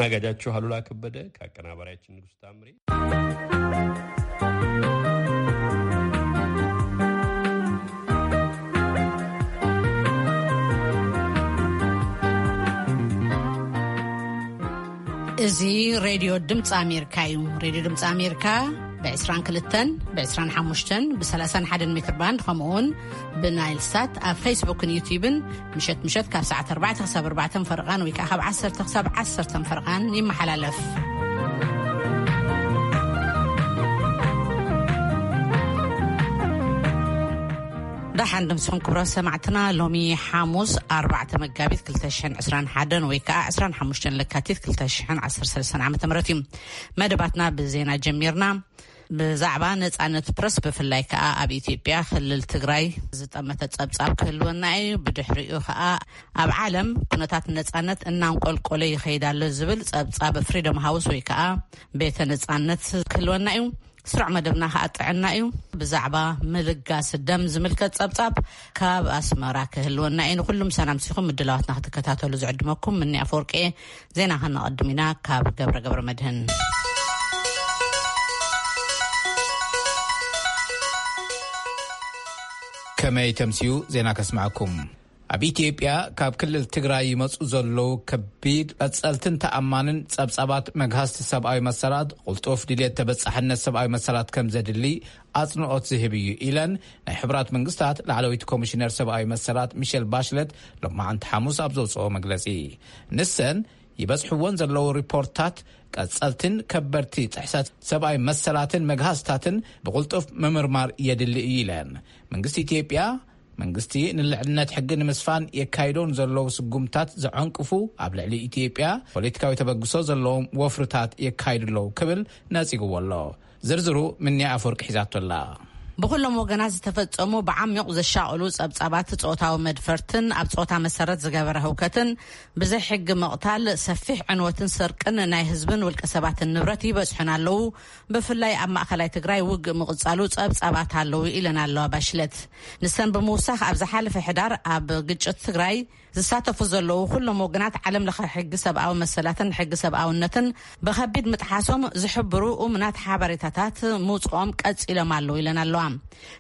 ኣስተናጋጃችሁ አሉላ ከበደ ከአቀናባሪያችን ንጉሥ ታምሬ። እዚ ሬድዮ ድምፂ ኣሜሪካ እዩ። ሬድዮ ድምፂ ኣሜሪካ ብ25፣ ብ25፣ ብ31 ሜትር ባንድ፣ ከምኡ እውን ብናይል ሳት ኣብ ፌስቡክን ዩቲዩብን ምሸት ምሸት ካብ ሰዓት ኣርባዕተ ክሳብ ኣርባዕተ ፈረቓን ወይ ከዓ ካብ ዓሰርተ ክሳብ ዓሰርተ ፈረቓን ይመሓላለፍ። ደሓን ድምስኹም ክብሮ ሰማዕትና፣ ሎሚ ሓሙስ ኣርባዕተ መጋቢት ክልተ ሽሕን ዕስራን ሓደን ወይ ከዓ ዕስራን ሓሙሽተን ለካቲት ክልተ ሽሕን ዓሰርተ ሰለስተን ዓመተ ምህረት እዩ። መደባትና ብዜና ጀሚርና። ብዛዕባ ነጻነት ፕረስ፣ ብፍላይ ከኣ ኣብ ኢትዮጵያ ክልል ትግራይ ዝጠመተ ጸብጻብ ክህልወና እዩ። ብድሕሪኡ ከኣ ኣብ ዓለም ኩነታት ነጻነት እናንቆልቆለ ይኸይድ ኣሎ ዝብል ጸብጻብ ፍሪደም ሃውስ ወይ ከኣ ቤተ ነጻነት ክህልወና እዩ። ስሩዕ መደብና ከኣ ጥዕና እዩ። ብዛዕባ ምልጋስ ደም ዝምልከት ጸብጻብ ካብ ኣስመራ ክህልወና እዩ። ንኹሉም ሰላም ሲኹም ምድላዋትና ክትከታተሉ ዝዕድመኩም ምኒ ኣፈወርቂ እየ። ዜና ከነቐድም ኢና ካብ ገብረ ገብረ መድህን። ከመይ ተምስዩ ዜና ከስምዐኩም። ኣብ ኢትዮጵያ ካብ ክልል ትግራይ ይመጹ ዘለዉ ከቢድ ቀጸልትን ተኣማንን ጸብጻባት መግሃስቲ ሰብኣዊ መሰላት፣ ቁልጡፍ ድልየት ተበጻሕነት ሰብኣዊ መሰላት ከም ዘድሊ ኣጽንኦት ዝህብ እዩ ኢለን ናይ ሕቡራት መንግስታት ላዕለወይቲ ኮሚሽነር ሰብኣዊ መሰላት ሚሸል ባሽለት ሎማዓንቲ ሓሙስ ኣብ ዘውፅኦ መግለጺ። ንሰን ይበጽሕዎን ዘለዉ ሪፖርታት ቀጸልትን ከበድቲ ጥሕሰት ሰብኣዊ መሰላትን መግሃስታትን ብቕልጡፍ ምምርማር የድሊ እዩ ኢለን። መንግስቲ ኢትዮጵያ መንግስቲ ንልዕልነት ሕጊ ንምስፋን የካይዶን ዘለዉ ስጉምታት ዘዐንቅፉ፣ ኣብ ልዕሊ ኢትዮጵያ ፖለቲካዊ ተበግሶ ዘለዎም ወፍርታት የካይዱ ኣለዉ ክብል ነጺግዎ ኣሎ። ዝርዝሩ ምንያ ኣፈወርቂ ሒዛቶ ኣላ። ብኹሎም ወገናት ዝተፈጸሙ ብዓሚቕ ዘሻቕሉ ጸብጻባት ጾታዊ መድፈርትን ኣብ ጾታ መሰረት ዝገበረ ህውከትን ብዘይ ሕጊ ምቕታል፣ ሰፊሕ ዕንወትን ስርቅን ናይ ህዝብን ውልቀ ሰባትን ንብረት ይበጽሑን ኣለዉ። ብፍላይ ኣብ ማእከላይ ትግራይ ውግእ ምቕጻሉ ጸብጻባት ኣለዉ ኢለን ኣለዋ ባሽለት። ንሰን ብምውሳኽ ኣብ ዝሓለፈ ሕዳር ኣብ ግጭት ትግራይ ዝሳተፉ ዘለዉ ኩሎም ወገናት ዓለም ለኸ ሕጊ ሰብኣዊ መሰላትን ሕጊ ሰብኣውነትን ብኸቢድ ምጥሓሶም ዝሕብሩ እሙናት ሓበሬታታት ምውፅኦም ቀፂሎም ኣለዉ ኢለን ኣለዋ።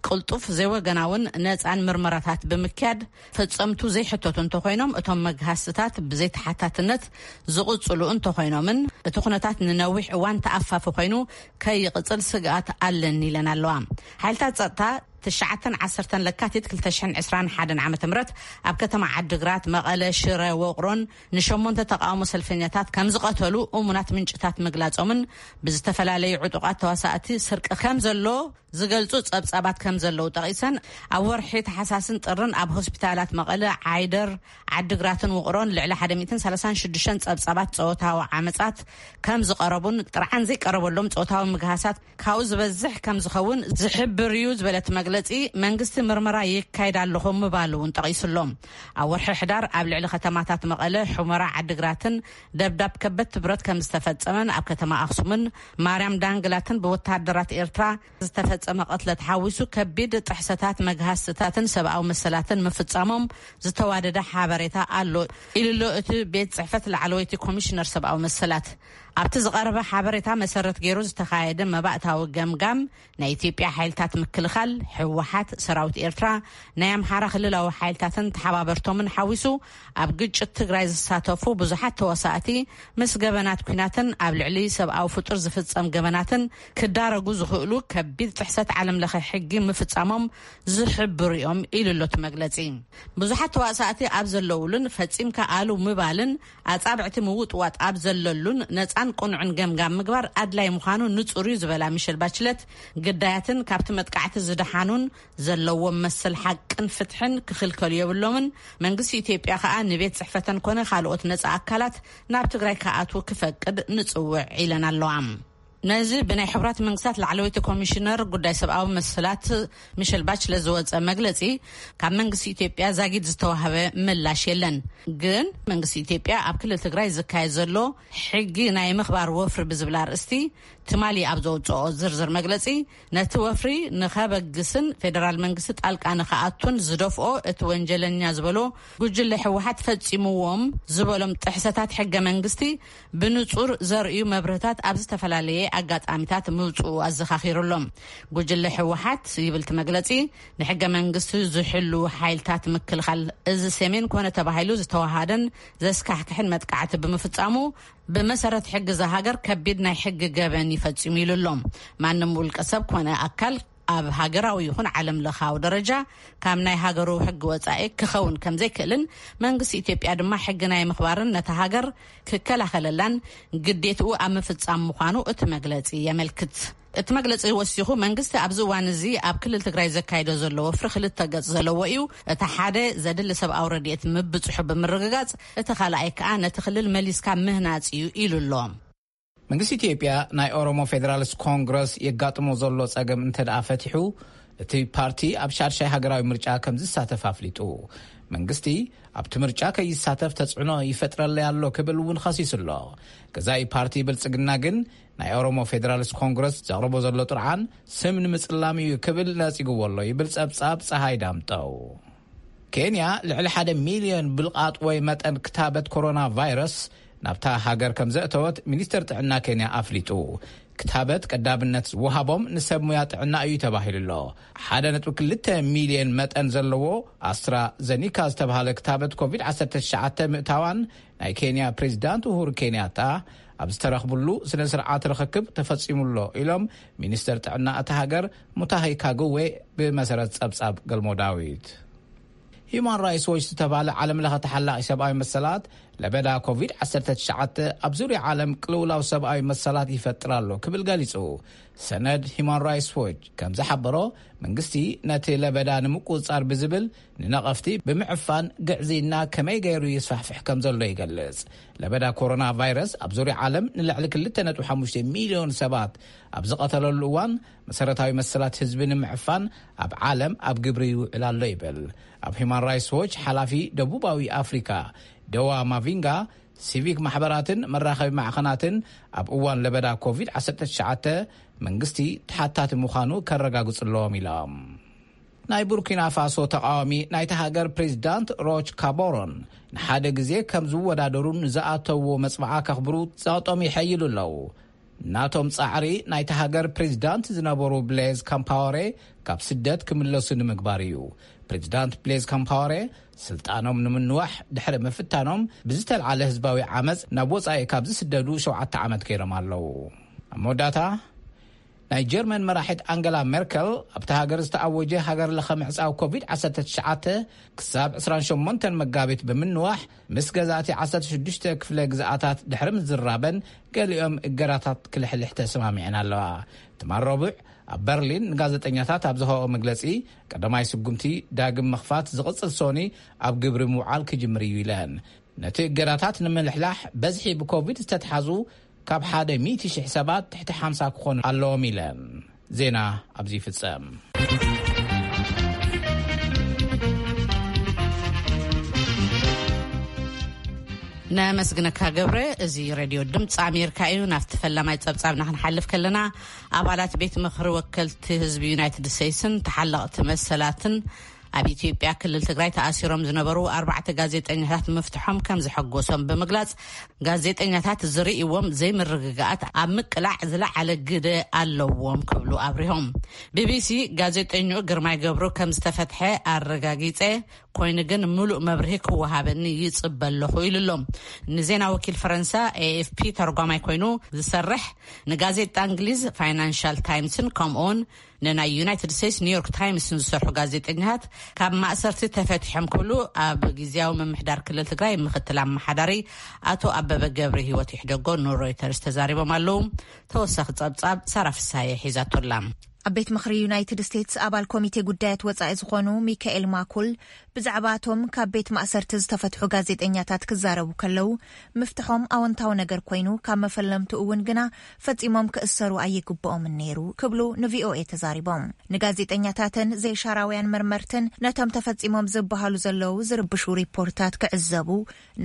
ቅልጡፍ ዘይወገናውን ነፃን ምርመራታት ብምክያድ ፈጸምቱ ዘይሕተቱ እንተኾይኖም እቶም መግሃስታት ብዘይተሓታትነት ዝቕፅሉ እንተኾይኖምን እቲ ኩነታት ንነዊሕ እዋን ተኣፋፊ ኮይኑ ከይቕፅል ስግኣት ኣለኒ ኢለን ኣለዋ። ሓይልታት ጸጥታ ትሽዓተን ዓሰርተን ለካቲት ክልተ ሽሕን ዕስራን ሓደን ዓመተ ምህረት ኣብ ከተማ ዓድግራት፣ መቐለ፣ ሽረ፣ ወቕሮን ንሸሞንተ ተቃውሞ ሰልፈኛታት ከም ዝቐተሉ እሙናት ምንጭታት ምግላጾምን ብዝተፈላለዩ ዕጡቓት ተዋሳእቲ ስርቂ ከም ዘሎ ዝገልጹ ጸብጻባት ከም ዘለዉ ጠቒሰን፣ ኣብ ወርሒ ተሓሳስን ጥርን ኣብ ሆስፒታላት መቐለ፣ ዓይደር፣ ዓድግራትን ውቕሮን ልዕሊ ሓደ ሚእትን ሰላሳን ሽዱሽተን ጸብጻባት ጾታዊ ዓመጻት ከም ዝቐረቡን ጥርዓን ዘይቀረበሎም ጾታዊ ምግሃሳት ካብኡ ዝበዝሕ ከም ዝኸውን ዝሕብር እዩ ዝበለት መግለጺ፣ መንግስቲ ምርመራ የካይድ ኣለኹ ምባሉ እውን ጠቒሱሎም። ኣብ ወርሒ ሕዳር ኣብ ልዕሊ ከተማታት መቐለ፣ ሑመራ፣ ዓድግራትን ደብዳብ ከበድቲ ብረት ከም ዝተፈጸመን ኣብ ከተማ ኣኽሱምን ማርያም ዳንግላትን ብወተሃደራት ኤርትራ ዝተፈጸመ ቅትለት ሓዊሱ ከቢድ ጥሕሰታት መግሃስትታትን ሰብኣዊ መሰላትን ምፍጻሞም ዝተዋደደ ሓበሬታ ኣሎ ኢሉሎ እቲ ቤት ጽሕፈት ላዕለወይቲ ኮሚሽነር ሰብኣዊ መሰላት። ኣብቲ ዝቐረበ ሓበሬታ መሰረት ገይሩ ዝተኻየደ መባእታዊ ገምጋም፣ ናይ ኢትዮጵያ ሓይልታት ምክልኻል፣ ህወሓት፣ ሰራዊት ኤርትራ፣ ናይ ኣምሓራ ክልላዊ ሓይልታትን ተሓባበርቶምን ሓዊሱ፣ ኣብ ግጭት ትግራይ ዝሳተፉ ብዙሓት ተዋሳእቲ ምስ ገበናት ኲናትን ኣብ ልዕሊ ሰብኣዊ ፍጡር ዝፍጸም ገበናትን ክዳረጉ ዝኽእሉ ከቢድ ጥሕሰት ዓለም ለኸ ሕጊ ምፍጻሞም ዝሕብሩ እዮም ኢሉ ኣሎ እቲ መግለጺ። ብዙሓት ተዋሳእቲ ኣብ ዘለውሉን ፈጺምካ ኣሉ ምባልን ኣጻብዕቲ ምውጥዋጥ ኣብ ዘለሉን ነጻን ቅኑዕን ገምጋም ምግባር ኣድላይ ምዃኑ ንጹር እዩ ዝበላ ሚሸል ባችለት፣ ግዳያትን ካብቲ መጥቃዕቲ ዝደሓኑን ዘለዎም መሰል ሓቅን ፍትሕን ክኽልከሉ የብሎምን። መንግስቲ ኢትዮጵያ ከኣ ንቤት ጽሕፈተን ኮነ ካልኦት ነጻ ኣካላት ናብ ትግራይ ክኣትዉ ክፈቅድ ንጽውዕ ኢለን ኣለዋ። ነዚ ብናይ ሕቡራት መንግስታት ላዕለወይቲ ኮሚሽነር ጉዳይ ሰብኣዊ መሰላት ሚሸል ባችለ ዝወጸ መግለጺ፣ ካብ መንግስቲ ኢትዮጵያ ዛጊድ ዝተዋህበ ምላሽ የለን። ግን መንግስቲ ኢትዮጵያ ኣብ ክልል ትግራይ ዝካየድ ዘሎ ሕጊ ናይ ምኽባር ወፍሪ ብዝብል ኣርእስቲ ትማሊ ኣብ ዘውጽኦ ዝርዝር መግለጺ፣ ነቲ ወፍሪ ንኸበግስን ፌደራል መንግስቲ ጣልቃ ንኸኣቱን ዝደፍኦ፣ እቲ ወንጀለኛ ዝበሎ ጉጅለ ህወሓት ፈጺምዎም ዝበሎም ጥሕሰታት ሕገ መንግስቲ ብንጹር ዘርእዩ መብርህታት ኣብ ዝተፈላለየ ኣጋጣሚታት ምውጽኡ ኣዘኻኺሩሎም። ጉጅለ ህወሓት ይብል እቲ መግለጺ፣ ንሕገ መንግስቲ ዝሕሉ ሓይልታት ምክልኻል እዚ ሰሜን ኮነ ተባሂሉ ዝተዋሃደን ዘስካሕክሕን መጥቃዕቲ ብምፍጻሙ፣ ብመሰረት ሕጊ እዛ ሃገር ከቢድ ናይ ሕጊ ገበን ይፈጺሙ ኢሉ ኣሎ። ማንም ውልቀ ሰብ ኮነ ኣካል ኣብ ሃገራዊ ይኹን ዓለም ለኻዊ ደረጃ ካብ ናይ ሃገሩ ሕጊ ወጻኢ ክኸውን ከም ዘይክእልን፣ መንግስቲ ኢትዮጵያ ድማ ሕጊ ናይ ምኽባርን ነታ ሃገር ክከላኸለላን ግዴትኡ ኣብ ምፍጻም ምዃኑ እቲ መግለጺ የመልክት። እቲ መግለጺ ወሲኹ፣ መንግስቲ ኣብዚ እዋን እዚ ኣብ ክልል ትግራይ ዘካይዶ ዘሎ ወፍሪ ክልተ ገጽ ዘለዎ እዩ። እቲ ሓደ ዘድሊ ሰብኣዊ ረድኤት ምብጽሑ ብምርግጋጽ፣ እቲ ካልኣይ ከኣ ነቲ ክልል መሊስካ ምህናጽ እዩ ኢሉ ኣሎ። መንግስቲ ኢትዮጵያ ናይ ኦሮሞ ፌዴራሊስት ኮንግረስ የጋጥሞ ዘሎ ጸገም እንተ ደኣ ፈቲሑ፣ እቲ ፓርቲ ኣብ ሻድሻይ ሃገራዊ ምርጫ ከም ዝሳተፍ ኣፍሊጡ። መንግስቲ ኣብቲ ምርጫ ከይሳተፍ ተጽዕኖ ይፈጥረለይ ኣሎ ክብል እውን ኸሲሱ ኣሎ። ገዛኢ ፓርቲ ብልጽግና ግን ናይ ኦሮሞ ፌዴራሊስት ኮንግረስ ዘቕርቦ ዘሎ ጥርዓን ስም ንምጽላም እዩ ክብል ነጺግዎ ኣሎ ይብል ጸብጻብ ጸሃይ ዳምጠው። ኬንያ ልዕሊ ሓደ ሚልዮን ብልቓጥ ወይ መጠን ክታበት ኮሮና ቫይረስ ናብታ ሃገር ከም ዘእተወት ሚኒስተር ጥዕና ኬንያ ኣፍሊጡ። ክታበት ቀዳምነት ዝወሃቦም ንሰብ ሙያ ጥዕና እዩ ተባሂሉ ኣሎ። ሓደ ነጥቢ ክልተ ሚልዮን መጠን ዘለዎ ኣስትራዘኒካ ዝተባሃለ ክታበት ኮቪድ ዓሰርተ ትሽዓተ ምእታዋን ናይ ኬንያ ፕሬዚዳንት ኡሁሩ ኬንያታ ኣብ ዝተረኽብሉ ስነ ስርዓት ርኽክብ ተፈጺሙ ኣሎ ኢሎም ሚኒስተር ጥዕና እታ ሃገር ሙታሂ ካግዌ ብመሰረት ጸብጻብ ገልሞ ዳዊት። ሂዩማን ራይትስ ዎች ዝተባለ ዓለም ለኸ ተሓላቒ ሰብኣዊ መሰላት ለበዳ ኮቪድ ዓሰርተ ትሽዓተ ኣብ ዙርያ ዓለም ቅልውላው ሰብኣዊ መሰላት ይፈጥር ኣሎ ክብል ገሊጹ። ሰነድ ሂዩማን ራይትስ ዎች ከም ዝሓበሮ፣ መንግስቲ ነቲ ለበዳ ንምቁጽጻር ብዝብል ንነቐፍቲ ብምዕፋን ግዕዝይና ከመይ ገይሩ ይስፋሕፍሕ ከም ዘሎ ይገልጽ። ለበዳ ኮሮና ቫይረስ ኣብ ዙርያ ዓለም ንልዕሊ ክልተ ነጥቢ ሓሙሽተ ሚልዮን ሰባት ኣብ ዝቐተለሉ እዋን፣ መሰረታዊ መሰላት ህዝቢ ንምዕፋን ኣብ ዓለም ኣብ ግብሪ ይውዕል ኣሎ ይብል። ኣብ ሂዩማን ራይትስ ዎች ሓላፊ ደቡባዊ ኣፍሪካ ደዋ ማቪንጋ፣ ሲቪክ ማሕበራትን መራኸቢ ማዕኸናትን ኣብ እዋን ለበዳ ኮቪድ ዓሰርተ ትሽዓተ መንግስቲ ተሓታቲ ምዃኑ ከረጋግጹ ኣለዎም ኢሎም። ናይ ቡርኪና ፋሶ ተቃዋሚ ናይታ ሃገር ፕሬዚዳንት ሮች ካቦሮን ንሓደ ግዜ ከም ዝወዳደሩ ንዝኣተውዎ መጽብዓ ከኽብሩ ጸቕጦም ይሐይሉ ኣለዉ። ናቶም ጻዕሪ ናይታ ሃገር ፕሬዚዳንት ዝነበሩ ብሌዝ ካምፓወሬ ካብ ስደት ክምለሱ ንምግባር እዩ። ፕሬዚዳንት ብሌዝ ካምፓወሬ ስልጣኖም ንምንዋሕ ድሕሪ ምፍታኖም ብዝተልዓለ ህዝባዊ ዓመፅ ናብ ወጻኢ ካብ ዝስደዱ ሸውዓተ ዓመት ገይሮም ኣለዉ። ኣብ መወዳእታ ናይ ጀርመን መራሒት ኣንገላ ሜርከል ኣብቲ ሃገር ዝተኣወጀ ሃገር ለኸ ምዕጻው ኮቪድ ዓሰርተ ትሽዓተ ክሳብ ዕስራን ሸሞንተን መጋቢት ብምንዋሕ ምስ ገዛእቲ ዓሰርተ ሽዱሽተ ክፍለ ግዝኣታት ድሕሪ ምዝራበን ገሊኦም እገዳታት ክልሕልሕ ተሰማሚዐን ኣለዋ። ትማል ረቡዕ ኣብ በርሊን ንጋዜጠኛታት ኣብ ዝሃቦ መግለጺ ቀዳማይ ስጉምቲ ዳግም ምኽፋት ዝቕጽል ሶኒ ኣብ ግብሪ ምውዓል ክጅምር እዩ ኢለን። ነቲ እገዳታት ንምልሕላሕ በዝሒ ብኮቪድ ዝተትሓዙ ካብ ሓደ ሚእቲ ሽሕ ሰባት ትሕቲ ሓምሳ ክኾኑ ኣለዎም ኢለን። ዜና ኣብዚ ይፍጸም። ነመስግነካ ገብረ። እዚ ሬድዮ ድምፂ ኣሜሪካ እዩ። ናብቲ ፈላማይ ጸብጻብና ክንሓልፍ ከለና፣ ኣባላት ቤት ምኽሪ ወከልቲ ህዝቢ ዩናይትድ ስቴትስን ተሓለቕቲ መሰላትን ኣብ ኢትዮጵያ ክልል ትግራይ ተኣሲሮም ዝነበሩ ኣርባዕተ ጋዜጠኛታት ምፍትሖም ከም ዘሐጎሶም ብምግላጽ፣ ጋዜጠኛታት ዝርእይዎም ዘይምርግጋኣት ኣብ ምቅላዕ ዝለዓለ ግደ ኣለዎም ክብሉ ኣብሪሆም። ቢቢሲ ጋዜጠኝኡ ግርማይ ገብሩ ከም ዝተፈትሐ ኣረጋጊጸ፣ ኮይኑ ግን ምሉእ መብርሂ ክወሃበኒ ይጽበ ኣለኹ ኢሉ ኣሎ። ንዜና ወኪል ፈረንሳ ኤኤፍፒ ተርጓማይ ኮይኑ ዝሰርሕ፣ ንጋዜጣ እንግሊዝ ፋይናንሻል ታይምስን ከምኡውን ንናይ ዩናይትድ ስቴትስ ኒውዮርክ ታይምስን ዝሰርሑ ጋዜጠኛታት ካብ ማእሰርቲ ተፈቲሖም ክብሉ ኣብ ግዝያዊ ምምሕዳር ክልል ትግራይ ምክትል ኣመሓዳሪ ኣቶ ኣበበ ገብረ ህይወት ይሕደጎ ንሮይተርስ ተዛሪቦም ኣለዉ። ተወሳኺ ጸብጻብ ሳራ ፍሳየ ሒዛቶላ። ኣብ ቤት ምኽሪ ዩናይትድ ስቴትስ ኣባል ኮሚቴ ጉዳያት ወጻኢ ዝኾኑ ሚካኤል ማኩል፣ ብዛዕባ እቶም ካብ ቤት ማእሰርቲ ዝተፈትሑ ጋዜጠኛታት ክዛረቡ ከለዉ፣ ምፍትሖም ኣወንታዊ ነገር ኮይኑ፣ ካብ መፈለምትኡ እውን ግና ፈጺሞም ክእሰሩ ኣይግብኦምን ነይሩ ክብሉ ንቪኦኤ ተዛሪቦም። ንጋዜጠኛታትን ዘይሻራውያን መርመርትን፣ ነቶም ተፈጺሞም ዝበሃሉ ዘለዉ ዝርብሹ ሪፖርታት ክዕዘቡ፣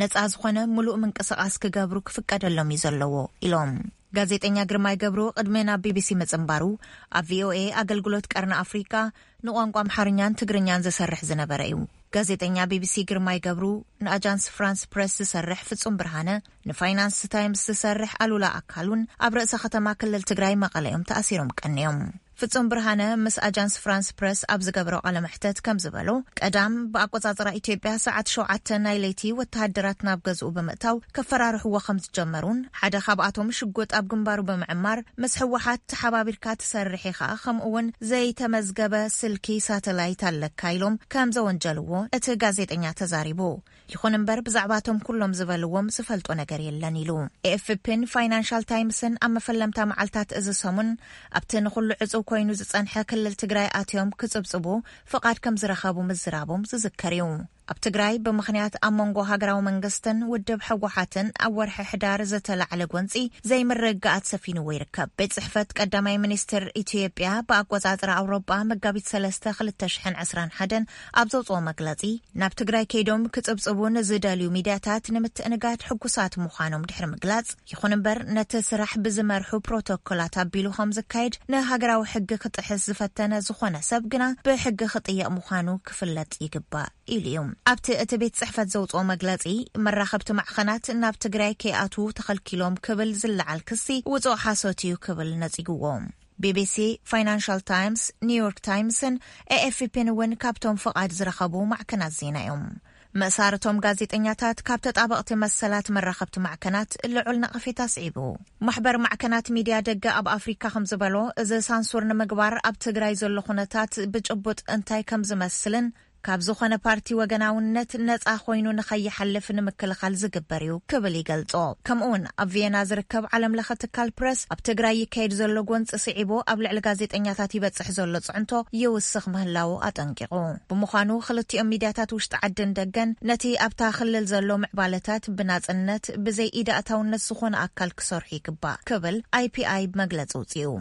ነጻ ዝኾነ ምሉእ ምንቅስቓስ ክገብሩ ክፍቀደሎም እዩ ዘለዎ ኢሎም። ጋዜጠኛ ግርማይ ገብሩ ቅድሚ ናብ ቢቢሲ ምጽንባሩ፣ ኣብ ቪኦኤ ኣገልግሎት ቀርኒ ኣፍሪቃ ንቋንቋ ኣምሓርኛን ትግርኛን ዝሰርሕ ዝነበረ እዩ። ጋዜጠኛ ቢቢሲ ግርማይ ገብሩ፣ ንኣጃንስ ፍራንስ ፕረስ ዝሰርሕ ፍጹም ብርሃነ፣ ንፋይናንስ ታይምስ ዝሰርሕ ኣሉላ ኣካሉን ኣብ ርእሰ ከተማ ክልል ትግራይ መቐለ እዮም ተኣሲሮም ቀንዮም። ፍጹም ብርሃነ ምስ ኣጃንስ ፍራንስ ፕረስ ኣብ ዝገብሮ ቃለ መሕተት ከም ዝበሎ፣ ቀዳም ብኣቆጻጽራ ኢትዮጵያ ሰዓት ሸውዓተ ናይ ለይቲ ወተሃደራት ናብ ገዝኡ ብምእታው ከፈራርሕዎ ከም ዝጀመሩን፣ ሓደ ካብኣቶም ሽጉጥ ኣብ ግንባሩ ብምዕማር፣ ምስ ህወሓት ተሓባቢርካ ትሰርሕ ኢኻ፣ ከምኡ እውን ዘይተመዝገበ ስልኪ ሳተላይት ኣለካ ኢሎም ከም ዘወንጀልዎ እቲ ጋዜጠኛ ተዛሪቡ። ይኹን እምበር፣ ብዛዕባቶም ኩሎም ዝበልዎም ዝፈልጦ ነገር የለን ኢሉ። ኤኤፍፒን ፋይናንሻል ታይምስን ኣብ መፈለምታ መዓልታት እዚ ሰሙን ኣብቲ ንኹሉ ዕጹው ኮይኑ ዝጸንሐ ክልል ትግራይ ኣትዮም ክጽብጽቡ ፍቓድ ከም ዝረኸቡ ምዝራቦም ዝዝከር እዩ። ኣብ ትግራይ ብምኽንያት ኣብ መንጎ ሃገራዊ መንግስትን ውድብ ህወሓትን ኣብ ወርሒ ሕዳር ዝተላዕለ ጎንጺ ዘይምርግጋኣት ሰፊንዎ ይርከብ። ቤት ጽሕፈት ቀዳማይ ሚኒስትር ኢትዮጵያ ብኣቆጻጽራ ኣውሮጳ መጋቢት ሰለስተ ክልተ ሽሕን ዕስራን ሓደን ኣብ ዘውጽኦ መግለጺ፣ ናብ ትግራይ ከይዶም ክጽብጽቡ ንዝደልዩ ሚድያታት ንምትእንጋድ ሕጉሳት ምዃኖም ድሕሪ ምግላጽ፣ ይኹን እምበር ነቲ ስራሕ ብዝመርሑ ፕሮቶኮላት ኣቢሉ ከም ዝካየድ፣ ንሃገራዊ ሕጊ ክጥሕስ ዝፈተነ ዝኾነ ሰብ ግና ብሕጊ ክጥየቕ ምዃኑ ክፍለጥ ይግባእ ኢሉ እዩ። ኣብቲ እቲ ቤት ጽሕፈት ዘውጽኦ መግለጺ፣ መራኸብቲ ማዕኸናት ናብ ትግራይ ከይኣትዉ ተኸልኪሎም ክብል ዝለዓል ክሲ ውጹእ ሓሶት እዩ ክብል ነጺግዎ። ቢቢሲ፣ ፋይናንሻል ታይምስ፣ ኒውዮርክ ታይምስን ኤኤፍፒን እውን ካብቶም ፍቓድ ዝረኸቡ ማዕከናት ዜና እዮም። ምእሳር እቶም ጋዜጠኛታት ካብ ተጣበቕቲ መሰላት መራኸብቲ ማዕከናት ልዑል ነቐፌታ ኣስዒቡ። ማሕበር ማዕከናት ሚድያ ደገ ኣብ ኣፍሪካ ከም ዝበሎ፣ እዚ ሳንሱር ንምግባር ኣብ ትግራይ ዘሎ ኩነታት ብጭቡጥ እንታይ ከም ዝመስልን ካብ ዝኾነ ፓርቲ ወገናውነት ነጻ ኮይኑ ንኸይሓልፍ ንምክልኻል ዝግበር እዩ ክብል ይገልጾ። ከምኡ እውን ኣብ ቪየና ዝርከብ ዓለም ለኸ ትካል ፕረስ ኣብ ትግራይ ይካየድ ዘሎ ጎንጺ ስዒቡ ኣብ ልዕሊ ጋዜጠኛታት ይበጽሕ ዘሎ ጽዕንቶ ይውስኽ ምህላዉ ኣጠንቂቑ። ብምዃኑ ክልቲኦም ሚድያታት ውሽጢ ዓድን ደገን ነቲ ኣብታ ክልል ዘሎ ምዕባለታት ብናጽነት ብዘይ ኢድ ኣእታውነት ዝኾነ ኣካል ክሰርሑ ይግባእ ክብል ኣይፒኣይ መግለጺ ኣውጺኡ።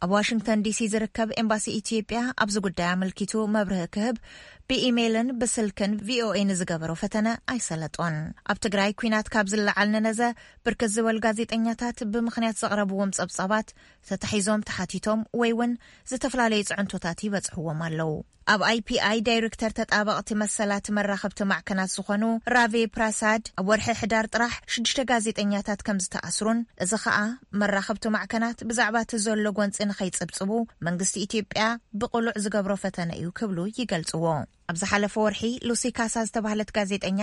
ኣብ ዋሽንግተን ዲሲ ዝርከብ ኤምባሲ ኢትዮጵያ ኣብዚ ጉዳይ ኣመልኪቱ መብርሂ ክህብ ብኢሜይልን ብስልክን ቪኦኤ ንዝገበሮ ፈተነ ኣይሰለጦን። ኣብ ትግራይ ኲናት ካብ ዝለዓል ንነዘ ብርክት ዝበሉ ጋዜጠኛታት ብምኽንያት ዘቕረብዎም ጸብጻባት ተታሒዞም ተሓቲቶም ወይ እውን ዝተፈላለዩ ጽዕንቶታት ይበጽሕዎም ኣለዉ። ኣብ ኣይፒኣይ ዳይሬክተር ተጣበቕቲ መሰላት መራኸብቲ ማዕከናት ዝኾኑ ራቬ ፕራሳድ፣ ኣብ ወርሒ ሕዳር ጥራሕ ሽዱሽተ ጋዜጠኛታት ከም ዝተኣስሩን፣ እዚ ኸኣ መራኸብቲ ማዕከናት ብዛዕባ እቲ ዘሎ ጎንጺ ንኸይጽብጽቡ መንግስቲ ኢትዮጵያ ብቕሉዕ ዝገብሮ ፈተነ እዩ ክብሉ ይገልጽዎ። ኣብ ዝሓለፈ ወርሒ ሉሲ ካሳ ዝተባህለት ጋዜጠኛ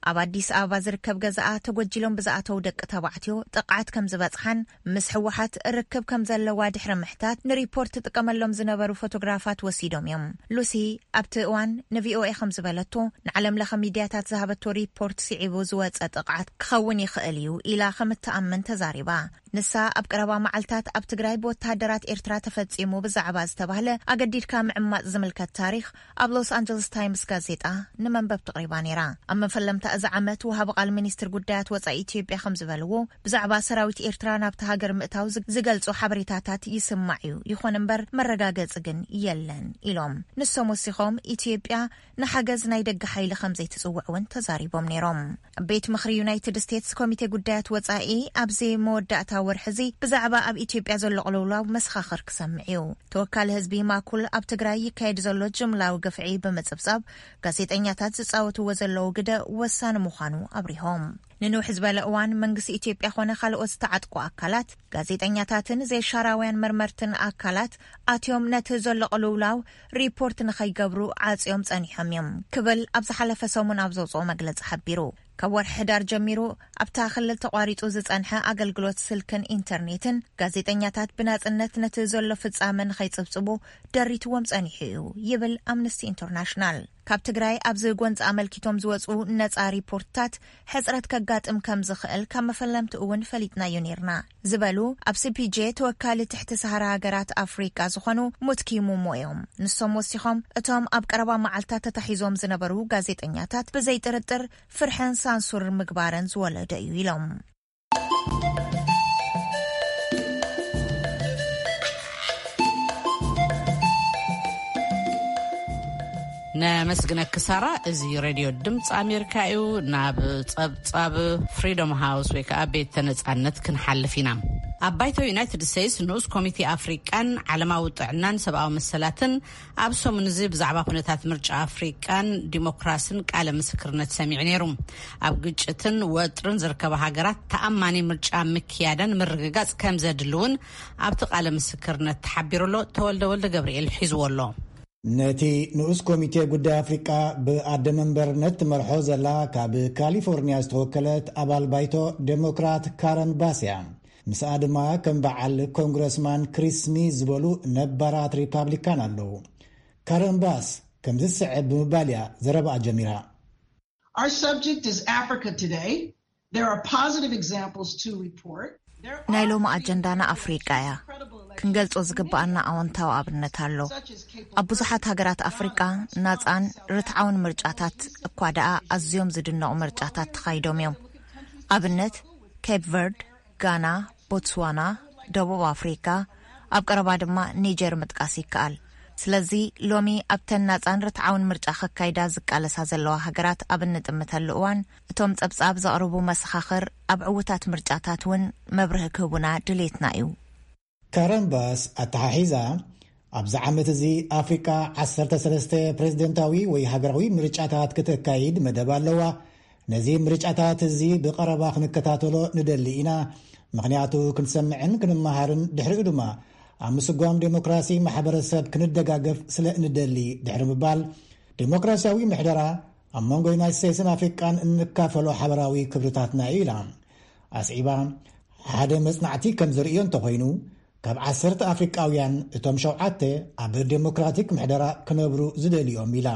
ኣብ ኣዲስ ኣበባ ዝርከብ ገዛኣ ተጎጂሎም ብዝኣተው ደቂ ተባዕትዮ ጥቕዓት ከም ዝበጽሓን ምስ ህወሓት ርክብ ከም ዘለዋ ድሕሪ ምሕታት ንሪፖርት ትጥቀመሎም ዝነበሩ ፎቶግራፋት ወሲዶም እዮም። ሉሲ ኣብቲ እዋን ንቪኦኤ ከም ዝበለቶ፣ ንዓለም ለኸ ሚድያታት ዝሃበቶ ሪፖርት ስዒቡ ዝወጸ ጥቕዓት ክኸውን ይኽእል እዩ ኢላ ከም እትኣምን ተዛሪባ። ንሳ ኣብ ቀረባ መዓልታት ኣብ ትግራይ ብወተሃደራት ኤርትራ ተፈጺሙ ብዛዕባ ዝተባህለ ኣገዲድካ ምዕማጽ ዝምልከት ታሪኽ ኣብ ሎስ ኣንጀለስ ታይምስ ጋዜጣ ንመንበብቲ ኣቕሪባ ነይራ። ኣብ መፈለምታ እዚ ዓመት ወሃቢ ቃል ሚኒስትር ጉዳያት ወጻኢ ኢትዮጵያ ከም ዝበልዎ፣ ብዛዕባ ሰራዊት ኤርትራ ናብቲ ሃገር ምእታው ዝ-፣ ዝገልጹ ሓበሬታታት ይስማዕ እዩ፣ ይኹን እምበር መረጋገጺ ግን የለን ኢሎም። ንሶም ወሲኾም፣ ኢትዮጵያ ንሓገዝ ናይ ደገ ሓይሊ ከም ዘይትጽውዕ እውን ተዛሪቦም ነይሮም። ቤት ምኽሪ ዩናይትድ ስቴትስ ኮሚቴ ጉዳያት ወጻኢ ኣብዚ መወዳእታ ወርሒ እዚ ብዛዕባ ኣብ ኢትዮጵያ ዘሎ ቅልውላው መሰኻኽር ክሰምዕ እዩ። ተወካሊ ህዝቢ ማኩል ኣብ ትግራይ ይካየድ ዘሎ ጅምላዊ ግፍዒ ብምጽብጻብ፣ ጋዜጠኛታት ዝጻወትዎ ዘለዉ ግደ ወሳኒ ምዃኑ ኣብሪሆም። ንንውሕ ዝበለ እዋን መንግስቲ ኢትዮጵያ ኾነ ካልኦት ዝተዓጥቁ ኣካላት፣ ጋዜጠኛታትን ዘይሻራውያን መርመርትን ኣካላት ኣትዮም ነቲ ዘሎ ቅልውላው ሪፖርት ንኸይገብሩ ዓጽዮም ጸኒሖም እዮም ክብል ኣብ ዝሓለፈ ሰሙን ኣብ ዘውጽኦ መግለጺ ሓቢሩ። ካብ ወርሒ ሕዳር ጀሚሩ ኣብታ ክልል ተቋሪጹ ዝጸንሐ ኣገልግሎት ስልክን ኢንተርኔትን፣ ጋዜጠኛታት ብናጽነት ነቲ ዘሎ ፍጻመ ንኸይጽብጽቡ ደሪትዎም ጸኒሑ እዩ ይብል ኣምነስቲ ኢንተርናሽናል። ካብ ትግራይ ኣብዚ ጎንፂ ኣመልኪቶም ዝወፁ ነፃ ሪፖርትታት ሕፅረት ከጋጥም ከም ዝኽእል ካብ መፈለምቲ እውን ፈሊጥናዮ ነይርና ዝበሉ ኣብ ሲ ፒ ጄ ተወካሊ ትሕቲ ሰሃራ ሃገራት ኣፍሪቃ ዝኾኑ ሙትኪ ሙሞ እዮም። ንሶም ወሲኾም እቶም ኣብ ቀረባ መዓልታት ተታሒዞም ዝነበሩ ጋዜጠኛታት ብዘይ ጥርጥር ፍርሕን ሳንሱር ምግባርን ዝወለደ እዩ ኢሎም። ነመስግነኪ ሳራ። እዚ ሬድዮ ድምፂ ኣሜሪካ እዩ። ናብ ጸብጻብ ፍሪዶም ሃውስ ወይ ከዓ ቤተ ነጻነት ክንሓልፍ ኢና። ኣብ ባይቶ ዩናይትድ ስቴትስ ንኡስ ኮሚቴ ኣፍሪቃን ዓለማዊ ጥዕናን ሰብኣዊ መሰላትን ኣብ ሰሙን እዚ ብዛዕባ ኩነታት ምርጫ ኣፍሪቃን ዲሞክራስን ቃለ ምስክርነት ሰሚዑ ነይሩ። ኣብ ግጭትን ወጥርን ዝርከባ ሃገራት ተኣማኒ ምርጫ ምክያደን ምርግጋጽ ከም ዘድሊ እውን ኣብቲ ቃለ ምስክርነት ተሓቢሩ ኣሎ። ተወልደ ወልደ ገብርኤል ሒዝዎ ኣሎ። ነቲ ንኡስ ኮሚቴ ጉዳይ ኣፍሪቃ ብኣደ መንበርነት ትመርሖ ዘላ ካብ ካሊፎርኒያ ዝተወከለት ኣባል ባይቶ ዴሞክራት ካረን ባስ እያ። ምስኣ ድማ ከም በዓል ኮንግረስማን ክሪስ ስሚዝ ዝበሉ ነባራት ሪፓብሊካን ኣለዉ። ካረን ባስ ከምዚ ዝስዕብ ብምባል እያ ዘረባኣ ጀሚራ። Our subject is Africa today. There are positive examples to report. ናይ ሎሚ ኣጀንዳና ኣፍሪቃ እያ። ክንገልጾ ዝግብኣና ኣወንታዊ ኣብነት ኣሎ። ኣብ ብዙሓት ሃገራት ኣፍሪቃ ናጻን ርትዓውን ምርጫታት እኳ ደኣ ኣዝዮም ዝድነቑ ምርጫታት ተኻይዶም እዮም። ኣብነት ኬፕ ቨርድ፣ ጋና፣ ቦትስዋና፣ ደቡብ ኣፍሪካ፣ ኣብ ቀረባ ድማ ኒጀር ምጥቃስ ይከኣል። ስለዚ ሎሚ ኣብተን ናጻን ርትዓውን ምርጫ ከካይዳ ዝቃለሳ ዘለዋ ሃገራት ኣብ እንጥምተሉ እዋን እቶም ጸብጻብ ዘቕርቡ መሰኻኽር ኣብ ዕውታት ምርጫታት እውን መብርሂ ክህቡና ድሌትና እዩ። ካረን ባስ ኣተሓሒዛ ኣብዚ ዓመት እዚ ኣፍሪቃ ዓሰርተ ሰለስተ ፕሬዝደንታዊ ወይ ሃገራዊ ምርጫታት ክተካይድ መደብ ኣለዋ። ነዚ ምርጫታት እዚ ብቐረባ ክንከታተሎ ንደሊ ኢና። ምኽንያቱ ክንሰምዕን ክንመሃርን ድሕሪኡ ድማ ኣብ ምስጓም ዴሞክራሲ ማሕበረሰብ ክንደጋገፍ ስለ እንደሊ ድሕሪ ምባል ዴሞክራሲያዊ ምሕደራ ኣብ መንጎ ዩናይት ስቴትስን ኣፍሪቃን እንካፈሎ ሓበራዊ ክብርታትና እዩ ኢላ። ኣስዒባ ሓደ መጽናዕቲ ከም ዝርእዮ እንተኾይኑ ካብ ዓሰርተ ኣፍሪቃውያን እቶም ሸውዓተ ኣብ ዴሞክራቲክ ምሕደራ ክነብሩ ዝደልዮም ኢላ።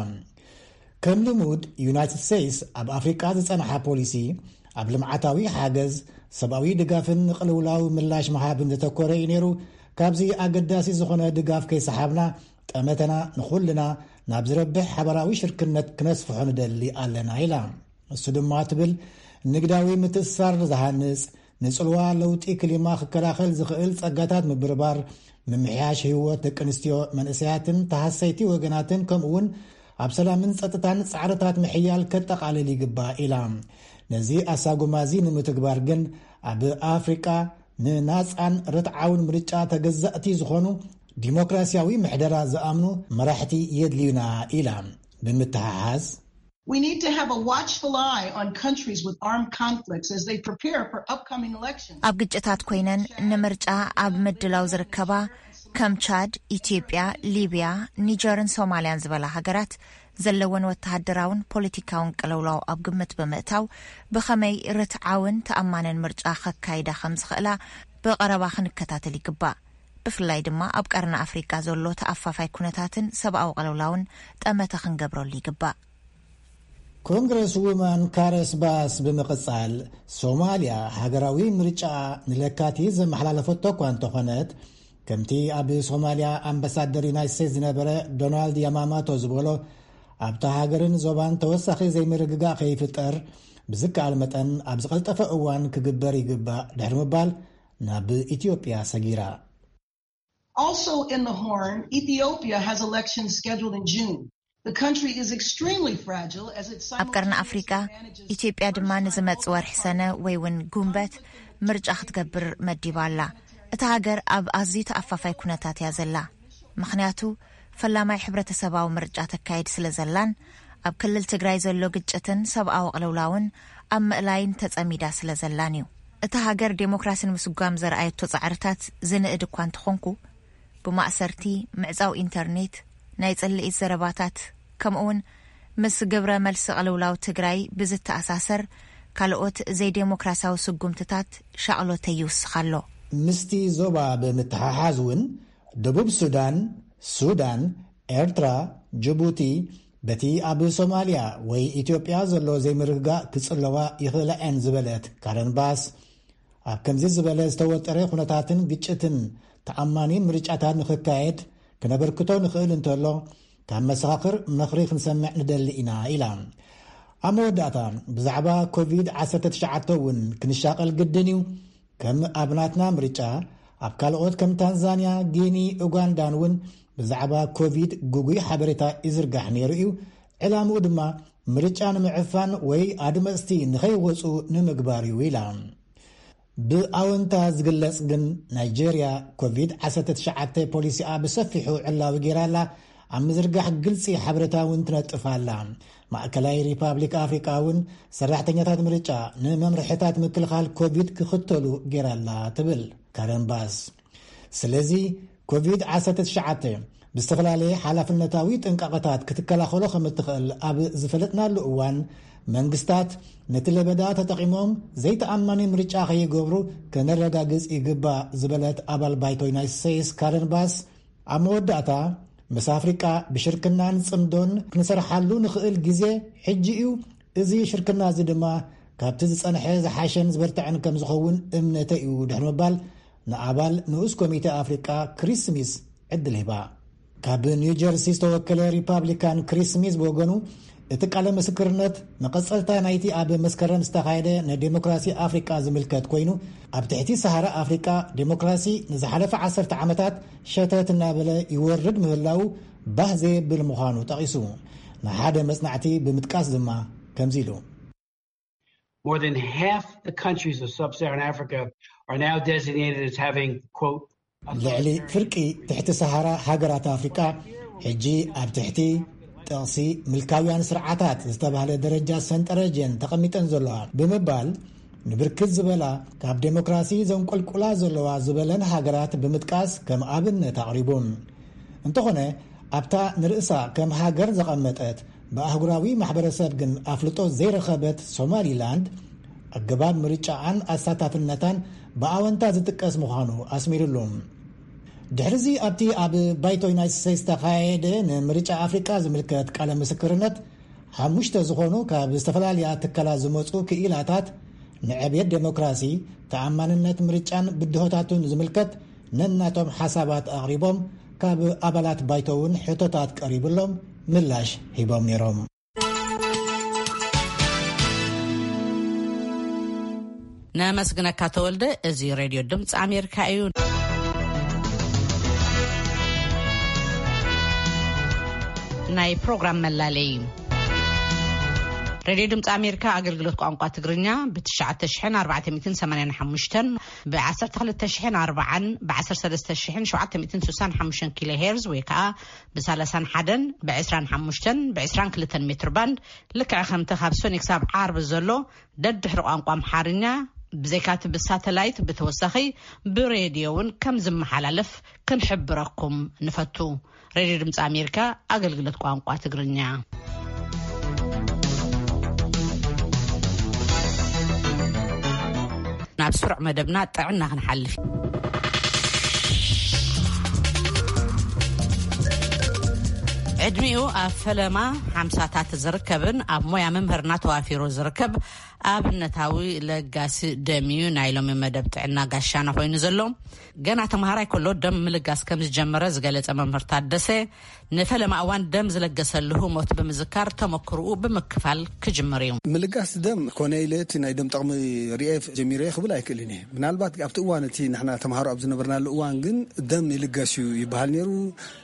ከም ልሙድ ዩናይትድ ስቴትስ ኣብ ኣፍሪቃ ዝጸንሓ ፖሊሲ ኣብ ልምዓታዊ ሓገዝ፣ ሰብኣዊ ድጋፍን ንቅልውላው ምላሽ ምሃብን ዘተኮረ እዩ ነይሩ። ካብዚ ኣገዳሲ ዝኾነ ድጋፍ ከይሰሓብና ጠመተና ንኹልና ናብ ዝረብሕ ሓበራዊ ሽርክነት ክነስፍሖ ንደሊ ኣለና ኢላ። እሱ ድማ ትብል ንግዳዊ ምትእስሳር ዝሃንጽ፣ ንጽልዋ ለውጢ ክሊማ ክከላኸል ዝኽእል ጸጋታት ምብርባር፣ ምምሕያሽ ህይወት ደቂ ኣንስትዮ፣ መንእሰያትን ተሃሰይቲ ወገናትን ከምኡ እውን ኣብ ሰላምን ጸጥታን ጻዕርታት ምሕያል ከጠቓልል ይግባእ ኢላ። ነዚ ኣሳጉማ እዚ ንምትግባር ግን ኣብ ኣፍሪቃ ንናጻን ርትዓውን ምርጫ ተገዛእቲ ዝኾኑ ዲሞክራሲያዊ ምሕደራ ዝኣምኑ መራሕቲ የድልዩና ኢላ። ብምትሓሓዝ We need to have a watchful eye on countries with armed conflicts as they prepare for upcoming elections. ኣብ ግጭታት ኮይነን ንምርጫ ኣብ ምድላው ዝርከባ ከም ቻድ፣ ኢትዮጵያ፣ ሊብያ፣ ኒጀርን ሶማልያን ዝበላ ሃገራት ዘለወን ወተሃደራውን ፖለቲካውን ቅልውላው ኣብ ግምት ብምእታው ብኸመይ ርትዓውን ተኣማንን ምርጫ ከካይዳ ከም ዝኽእላ ብቐረባ ክንከታተል ይግባእ። ብፍላይ ድማ ኣብ ቀርኒ ኣፍሪቃ ዘሎ ተኣፋፋይ ኩነታትን ሰብኣዊ ቅልውላውን ጠመተ ክንገብረሉ ይግባእ። ኮንግረስ ውማን ካረስ ባስ ብምቕጻል ሶማልያ ሃገራዊ ምርጫ ንለካቲት ዘመሓላለፈቶ እኳ እንተኾነት ከምቲ ኣብ ሶማልያ ኣምባሳደር ዩናይት ስቴትስ ዝነበረ ዶናልድ ያማማቶ ዝበሎ ኣብታ ሃገርን ዞባን ተወሳኺ ዘይምርግጋእ ከይፍጠር ብዝከኣል መጠን ኣብ ዝቐልጠፈ እዋን ክግበር ይግባእ ድሕሪ ምባል ናብ ኢትዮጵያ ሰጊራ። Also in the Horn, Ethiopia has elections scheduled in June. The country is extremely fragile as it ኣብ ቀርኒ ኣፍሪቃ ኢትዮጵያ ድማ ንዝመጽእ ወርሒ ሰነ ወይ እውን ጉንበት ምርጫ ክትገብር መዲባ ኣላ። እታ ሃገር ኣብ ኣዝዩ ተኣፋፋይ ኩነታት እያ ዘላ። ምኽንያቱ ፈላማይ ሕብረተሰባዊ ምርጫ ተካይድ ስለ ዘላን ኣብ ክልል ትግራይ ዘሎ ግጭትን ሰብኣዊ ቅልውላውን ኣብ ምእላይን ተጸሚዳ ስለ ዘላን እዩ። እታ ሃገር ዴሞክራሲ ንምስጓም ዘርኣየቶ ጻዕርታት ዝንእድ እኳ እንተኾንኩ ብማእሰርቲ፣ ምዕጻው ኢንተርኔት፣ ናይ ጽልኢት ዘረባታት ከምኡውን ምስ ግብረ መልሲ ቅልውላው ትግራይ ብዝተኣሳሰር ካልኦት ዘይዴሞክራሲያዊ ስጉምትታት ሻቕሎተይ ይውስኽ ኣሎ። ምስቲ ዞባ ብምትሓሓዝ እውን፣ ደቡብ ሱዳን፣ ሱዳን፣ ኤርትራ፣ ጅቡቲ፣ በቲ ኣብ ሶማልያ ወይ ኢትዮጵያ ዘሎ ዘይምርግጋእ ክጽለዋ ይኽእላ እየን ዝበለት ካረን ባስ፣ ኣብ ከምዚ ዝበለ ዝተወጠረ ኩነታትን ግጭትን ተኣማኒ ምርጫታት ንኽካየድ ክነበርክቶ ንኽእል እንተሎ፣ ካብ መሰኻኽር ምኽሪ ክንሰምዕ ንደሊ ኢና ኢላ። ኣብ መወዳእታ፣ ብዛዕባ ኮቪድ ዓሰርተ ትሽዓተ እውን ክንሻቐል ግድን እዩ። ከም ኣብ ናትና ምርጫ፣ ኣብ ካልኦት ከም ታንዛንያ፣ ጊኒ፣ ኡጋንዳን እውን ብዛዕባ ኮቪድ ግጉይ ሓበሬታ ይዝርጋሕ ነይሩ እዩ። ዕላምኡ ድማ ምርጫ ንምዕፋን ወይ ኣድመፅቲ ንኸይወፁ ንምግባር እዩ ኢላ። ብኣወንታ ዝግለጽ ግን፣ ናይጄርያ ኮቪድ ዓሰርተ ትሽዓተ ፖሊሲኣ ብሰፊሑ ዕላዊ ገይራ ኣላ። ኣብ ምዝርጋሕ ግልጺ ሓበሬታ እውን ትነጥፍ ኣላ። ማእከላይ ሪፓብሊክ ኣፍሪቃ እውን ሰራሕተኛታት ምርጫ ንመምርሕታት ምክልኻል ኮቪድ ክኽተሉ ገይራ ኣላ ትብል ካረን ባስ። ስለዚ ኮቪድ ዓሰርተ ትሽዓተ ብዝተፈላለየ ሓላፍነታዊ ጥንቃቐታት ክትከላኸሎ ከም እትኽእል ኣብ ዝፈለጥናሉ እዋን፣ መንግስታት ነቲ ለበዳ ተጠቒሞም ዘይተኣማኒ ምርጫ ከይገብሩ ከነረጋግጽ ይግባእ ዝበለት ኣባል ባይቶ ዩናይትድ ስቴትስ ካረን ባስ፣ ኣብ መወዳእታ፣ ምስ ኣፍሪቃ ብሽርክናን ጽምዶን ክንሰርሓሉ ንኽእል ግዜ ሕጂ እዩ። እዚ ሽርክና እዚ ድማ ካብቲ ዝጸንሐ ዝሓሸን ዝበርትዐን ከም ዝኸውን እምነተይ እዩ ድሕሪ ምባል፣ ንኣባል ንኡስ ኮሚቴ ኣፍሪቃ ክሪስ ስሚስ ዕድል ሂባ። ካብ ኒው ጀርሲ ዝተወከለ ሪፓብሊካን ክሪስ ስሚዝ ብወገኑ፣ እቲ ቃለ ምስክርነት መቐጸልታ ናይቲ ኣብ መስከረም ዝተኻየደ ንዴሞክራሲ ኣፍሪቃ ዝምልከት ኮይኑ፣ ኣብ ትሕቲ ሰሃራ ኣፍሪቃ ዴሞክራሲ ንዝሓለፈ ዓሰርተ ዓመታት ሸተት እናበለ ይወርድ ምህላዉ ባህ ዘየብል ምዃኑ ጠቒሱ፣ ንሓደ መጽናዕቲ ብምጥቃስ ድማ ከምዚ ኢሉ። More than half the countries of sub-Saharan Africa are now designated as having, quote, ልዕሊ ፍርቂ ትሕቲ ሰሃራ ሃገራት ኣፍሪቃ ሕጂ ኣብ ትሕቲ ጥቕሲ ምልካውያን ስርዓታት ዝተባህለ ደረጃ ሰንጠረጀን ተቐሚጠን ዘለዋ ብምባል፣ ንብርክት ዝበላ ካብ ዴሞክራሲ ዘንቆልቁላ ዘለዋ ዝበለን ሃገራት ብምጥቃስ ከም ኣብነት ኣቕሪቡ። እንተኾነ፣ ኣብታ ንርእሳ ከም ሃገር ዘቐመጠት፣ ብኣህጉራዊ ማሕበረሰብ ግን ኣፍልጦ ዘይረኸበት ሶማሊላንድ፣ ኣገባብ ምርጫኣን ኣሳታፍነታን ብኣወንታ ዝጥቀስ ምዃኑ ኣስሚሩሉ። ድሕሪዚ ኣብቲ ኣብ ባይቶ ዩናይትድ ስቴትስ ዝተኻየደ ንምርጫ ኣፍሪቃ ዝምልከት ቃለ ምስክርነት፣ ሓሙሽተ ዝኾኑ ካብ ዝተፈላለያ ትካላት ዝመጹ ክኢላታት ንዕብየት ዴሞክራሲ፣ ተኣማንነት ምርጫን ብድሆታቱን ዝምልከት ነናቶም ሓሳባት ኣቕሪቦም፣ ካብ ኣባላት ባይቶ እውን ሕቶታት ቀሪብሎም ምላሽ ሂቦም ነይሮም። ነመስግነካ ተወልደ። እዚ ሬድዮ ድምፂ ኣሜሪካ እዩ። ናይ ፕሮግራም መላለይ። ሬድዮ ድምፂ ኣሜሪካ ኣገልግሎት ቋንቋ ትግርኛ ብ ትሽዓተ ሽሕን ኣርባዕተ ሚእትን ሰማንያን ሓሙሽተን፣ ብ ዓሰርተ ክልተ ሽሕን ኣርባዓን፣ ብ ዓሰርተ ሰለስተ ሽሕን ሸውዓተ ሚእትን ስሳን ሓሙሽተን ኪሎ ሄርዝ ወይ ከዓ ብ ሰላሳን ሓደን፣ ብ ዕስራን ሓሙሽተን፣ ብ ዕስራን ክልተን ሜትር ባንድ፣ ልክዕ ከምቲ ካብ ሰኒ ክሳብ ዓርቢ ዘሎ ደድሕሪ ቋንቋ ኣምሓርኛ፣ ብዘይካቲ ብሳተላይት ብተወሳኺ ብሬድዮ እውን ከም ዝመሓላለፍ ክንሕብረኩም ንፈቱ። ሬድዮ ድምፂ ኣሜሪካ ኣገልግሎት ቋንቋ ትግርኛ። ናብ ስሩዕ መደብና ጥዕና ክንሓልፍ። ዕድሚኡ ኣብ ፈለማ ሓምሳታት ዝርከብን ኣብ ሞያ ምምህርና ተዋፊሩ ዝርከብ ኣብነታዊ ለጋሲ ደም እዩ ናይ ሎሚ መደብ ጥዕና ጋሻና ኮይኑ ዘሎ። ገና ተምሃራይ ከሎ ደም ምልጋስ ከም ዝጀመረ ዝገለጸ መምህር ታደሰ፣ ንፈለማ እዋን ደም ዝለገሰሉ ህሞት ብምዝካር ተመክርኡ ብምክፋል ክጅምር እዩ። ምልጋስ ደም ኮነ ኢለ እቲ ናይ ደም ጠቕሚ ርኤ ጀሚረ ክብል ኣይክእልን እየ። ምናልባት ኣብቲ እዋን እቲ ንሕና ተምሃሮ ኣብ ዝነበርናሉ እዋን ግን ደም ይልገስ እዩ ይበሃል ነይሩ።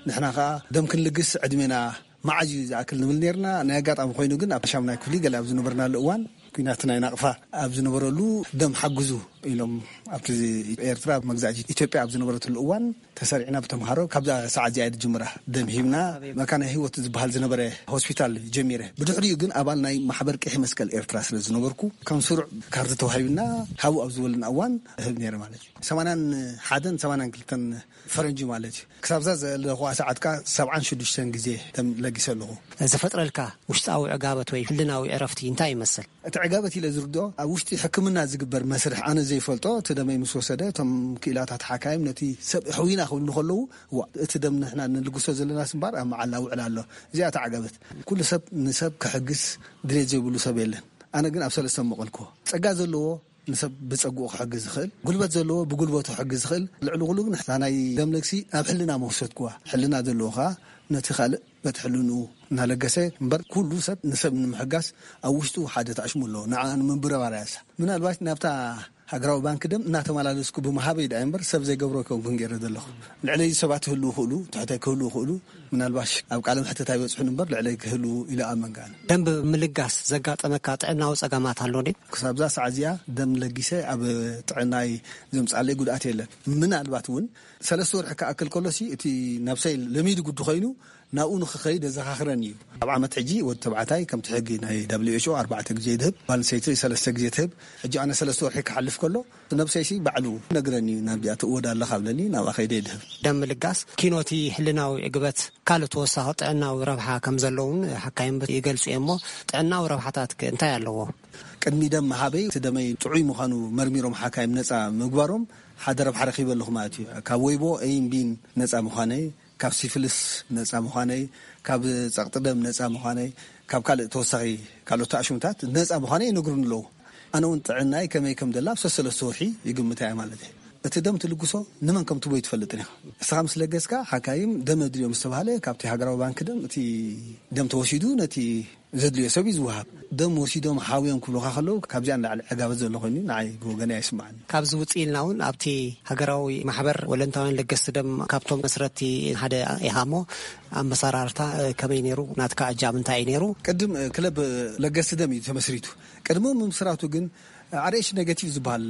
ንሕና ከኣ ደም ክንልግስ ዕድሜና መዓዝ እዩ ዝኣክል ንብል ነይርና። ናይ ኣጋጣሚ ኮይኑ ግን ኣብ ሻሙናይ ክፍሊ ገለ ኣብ ዝነበርናሉ እዋን፣ ኲናት ናይ ናቕፋ ኣብ ዝነበረሉ፣ ደም ሓግዙ ኢሎም ኣብቲ ኤርትራ መግዛእቲ ኢትዮጵያ ኣብ ዝነበረትሉ እዋን ተሰሪዕና ብተምሃሮ ካብዛ ሰዓት እዚኣ እየ ዝጅምራ። ደም ሂብና መካነ ህይወት ዝበሃል ዝነበረ ሆስፒታል ጀሚረ። ብድሕሪኡ ግን ኣባል ናይ ማሕበር ቀይሕ መስቀል ኤርትራ ስለ ዝነበርኩ ከም ስሩዕ ካርድ ተዋሂብና ሃቡ ኣብ ዝበሉና እዋን እህብ ነይረ ማለት እዩ። ሰማንያን ሓደን ሰማንያን ክልተን ፈረንጂ ማለት እዩ። ክሳብዛ ዘለኹዋ ሰዓት ከኣ ሰብዓን ሽዱሽተን ግዜ ደም ለጊሰ ኣለኹ። ዝፈጥረልካ ውሽጣዊ ዕጋበት ወይ ህልናዊ ዕረፍቲ እንታይ ይመስል? እቲ ዕጋበት ኢለ ዝርድኦ ኣብ ውሽጢ ሕክምና ዝግበር መስርሕ ኣነ ዘይፈልጦ እቲ ደመይ ምስ ወሰደ እቶም ክኢላታት ሓካይም ነቲ ሰብ ሕውይና ክብሉ ከለዉ እዋ እቲ ደም ንሕና ንልግሶ ዘለናስ እምበር ኣብ መዓላ ውዕል ኣሎ። እዚኣ እታ ዕጋበት። ኩሉ ሰብ ንሰብ ክሕግዝ ድሌት ዘይብሉ ሰብ የለን። ኣነ ግን ኣብ ሰለስተ መቐልክዎ ጸጋ ዘለዎ ንሰብ ብጸግኡ ክሕግዝ ዝኽእል፣ ጉልበት ዘለዎ ብጉልበቱ ክሕግዝ ዝኽእል፣ ልዕሊ ኩሉ ግን እታ ናይ ደም ለግሲ ኣብ ሕልና መውሰድክዋ። ሕልና ዘለዎ ከኣ ነቲ ካልእ በቲ ሕልንኡ እናለገሰ እምበር ኩሉ ሰብ ንሰብ ንምሕጋዝ ኣብ ውሽጡ ሓደ ተኣሽሙ ኣለዎ። ንዓ ንምብረባር እያ እሳ። ምናልባት ናብታ ሃገራዊ ባንክ ደም እናተመላለስኩ ብምሃበይ ደኣ እምበር ሰብ ዘይገብሮ ኣይኮንኩን ገይረ ዘለኹ። ልዕለይ ሰባት ክህልዉ ይኽእሉ፣ ትሕተይ ክህልዉ ይኽእሉ፣ ምናልባሽ ኣብ ቃለ መሕትት ኣይበጽሑን እምበር ልዕለይ ክህልዉ ኢለ እኣምን ከኣ። ደም ብምልጋስ ዘጋጠመካ ጥዕናዊ ጸገማት ኣሎ ድዩ? ክሳብዛ ሰዓት እዚኣ ደም ለጊሰ ኣብ ጥዕናይ ዘምጽኣለይ ጉድኣት የለን። ምናልባት እውን ሰለስተ ወርሒ ክኣክል ከሎሲ እቲ ነብሰይ ለሚዱ ግዲ ኮይኑ ናብኡ ንኽኸይድ የዘኻኽረኒ እዩ። ኣብ ዓመት ሕጂ ወዲ ተባዕታይ ከምቲ ሕጊ ናይ ደብሊው ኤች ኦ ኣርባዕተ ግዜ ይድህብ፣ ጓል ኣንስተይቲ ሰለስተ ግዜ ትህብ። ሕጂ ኣነ ሰለስተ ወርሒ ክሓልፍ ከሎ ነብሰይሲ ባዕሉ ይነግረኒ እዩ፣ ናብዚኣ ትእወድ ኣለኻ ብለኒ ናብኣ ከይደ ይድህብ። ደም ምልጋስ ኪኖቲ ህልናዊ ዕግበት ካልእ ተወሳኺ ጥዕናዊ ረብሓ ከም ዘለውን ሓካይም ይገልጹ እዮም። እሞ ጥዕናዊ ረብሓታት ከ እንታይ ኣለዎ? ቅድሚ ደም ምሃበይ እቲ ደመይ ጥዑይ ምዃኑ መርሚሮም ሓካይም ነጻ ምግባሮም ሓደ ረብሓ ረኺበ ኣለኹ ማለት እዩ። ካብ ወይቦ ኤይን ቢን ነጻ ምዃነይ፣ ካብ ሲፍልስ ነጻ ምዃነይ፣ ካብ ጸቕጢ ደም ነጻ ምዃነይ፣ ካብ ካልእ ተወሳኺ ካልኦት ተኣሽሙታት ነጻ ምዃነይ ይነግሩኒ ኣለዉ። ኣነ እውን ጥዕናይ ከመይ ከም ደላ ኣብ ሰሰለስተ ወርሒ ይግምታ እየ ማለት እዩ። እቲ ደም ትልግሶ ንመን ከም ትቦ ኣይትፈልጥን ኢኻ። እስኻ ምስ ለገስካ ሓካይም ደም ኣድልዮም ዝተባህለ ካብቲ ሃገራዊ ባንክ ደም እቲ ደም ተወሲዱ ነቲ ዘድልዮ ሰብ እዩ ዝወሃብ። ደም ወሲዶም ሓውዮም ክብሉኻ ከለዉ ካብዚኣ ንላዕሊ ዕጋበት ዘሎ ኮይኑ ንዓይ ብወገነይ ኣይስምዓኒ። ካብዚ ውፅእ ኢልና እውን ኣብቲ ሃገራዊ ማሕበር ወለንታውያን ለገስቲ ደም ካብቶም መስረቲ ሓደ ኢኻ እሞ ኣመሰራርታ ከመይ ነይሩ? ናትካ እጃም እንታይ እዩ ነይሩ? ቅድም ክለብ ለገስቲ ደም እዩ ተመስሪቱ። ቅድሚ ምምስራቱ ግን ኣር ኤች ኔጌቲቭ ዝበሃል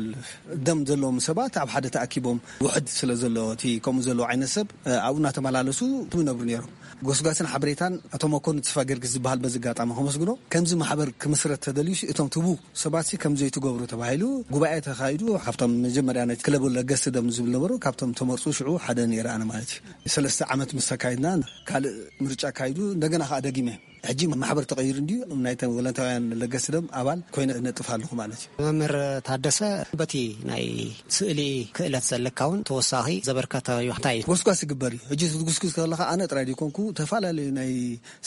ደም ዘለዎም ሰባት ኣብ ሓደ ተኣኪቦም ውሕድ ስለ ዘሎ እቲ ከምኡ ዘለዎ ዓይነት ሰብ ኣብኡ እናተመላለሱ ይነብሩ ነይሮም። ጎስጓስን ሓበሬታን ኣቶ መኮንን ተስፋ ጊዮርጊስ ዝበሃል በዚ ኣጋጣሚ ከመስግኖ። ከምዚ ማሕበር ክምስረት ተደልዩሲ እቶም ትቡ ሰባትሲ ከም ዘይትገብሩ ተባሂሉ ጉባኤ ተኻይዱ። ካብቶም መጀመርያ ናይ ክለብ ለገስቲ ደም ዝብል ነበሩ፣ ካብቶም ተመርፁ ሽዑ ሓደ ነይረ ኣነ ማለት እዩ። ሰለስተ ዓመት ምስ ተካይድና ካልእ ምርጫ ኣካይዱ እንደገና ከዓ ደጊመ ሕጂ ማሕበር ተቐይሩ እንድዩ ናይተን ወለንታውያን ለገስቲ ደም ኣባል ኮይነ እነጥፍ ኣለኹ ማለት እዩ። መምህር ታደሰ፣ በቲ ናይ ስእሊ ክእለት ዘለካ እውን ተወሳኺ ዘበርከታዮ እንታይ እዩ? ጎስጓስ ይግበር እዩ። ሕጂ ትጉስጉስ ከለኻ ኣነ ጥራይ ዘይኮንኩ፣ ተፈላለዩ ናይ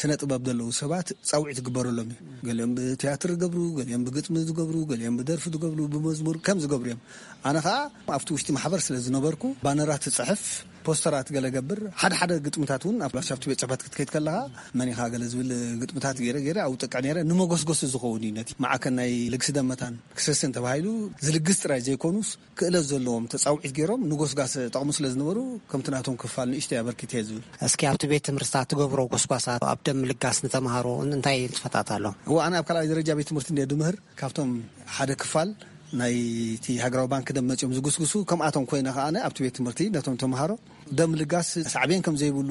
ስነ ጥበብ ዘለዉ ሰባት ጻውዒት ይግበረሎም እዩ። ገሊኦም ብትያትር ዝገብሩ፣ ገሊኦም ብግጥሚ ዝገብሩ፣ ገሊኦም ብደርፊ ዝገብሩ፣ ብመዝሙር ከም ዝገብሩ እዮም። ኣነ ኸኣ ኣብቲ ውሽጢ ማሕበር ስለ ዝነበርኩ፣ ባነራት ትጽሕፍ፣ ፖስተራት ገለ ገብር፣ ሓደ ሓደ ግጥምታት እውን ኣብ ላሻፍቲ ቤት ጽሕፈት ክትከይድ ከለኻ፣ መን ኢኻ ገለ ዝብል ግጥምታት ገይረ ገይረ ኣውጥቅዕ ነይረ። ንመጎስጎሲ ዝኸውን እዩ። ነቲ ማዕከን ናይ ልግሲ ደም መታን ክሰስን ተባሂሉ ዝልግስ ጥራይ ዘይኮኑስ፣ ክእለት ዘለዎም ተጻውዒት ገይሮም ንጎስጓስ ጠቕሙ ስለ ዝነበሩ፣ ከምቲ ናቶም ክፋል ንእሽተይ ኣበርኪተ እየ ዝብል። እስኪ ኣብቲ ቤት ትምህርትታት ትገብሮ ጎስጓሳት ኣብ ደም ምልጋስ ንተምሃሮ እንታይ ንጥፈታት ኣሎ? እዋ፣ ኣነ ኣብ ካልኣይ ደረጃ ቤት ትምህርቲ እንድየ ድምህር። ካብቶም ሓደ ክፋል ናይቲ ሃገራዊ ባንክ ደም መጺኦም ዝጉስጉሱ፣ ከምኣቶም ኮይነ ከኣ ኣነ ኣብቲ ቤት ትምህርቲ ነቶም ተምሃሮ ደም ምልጋስ ሳዕቤን ከም ዘይብሉ፣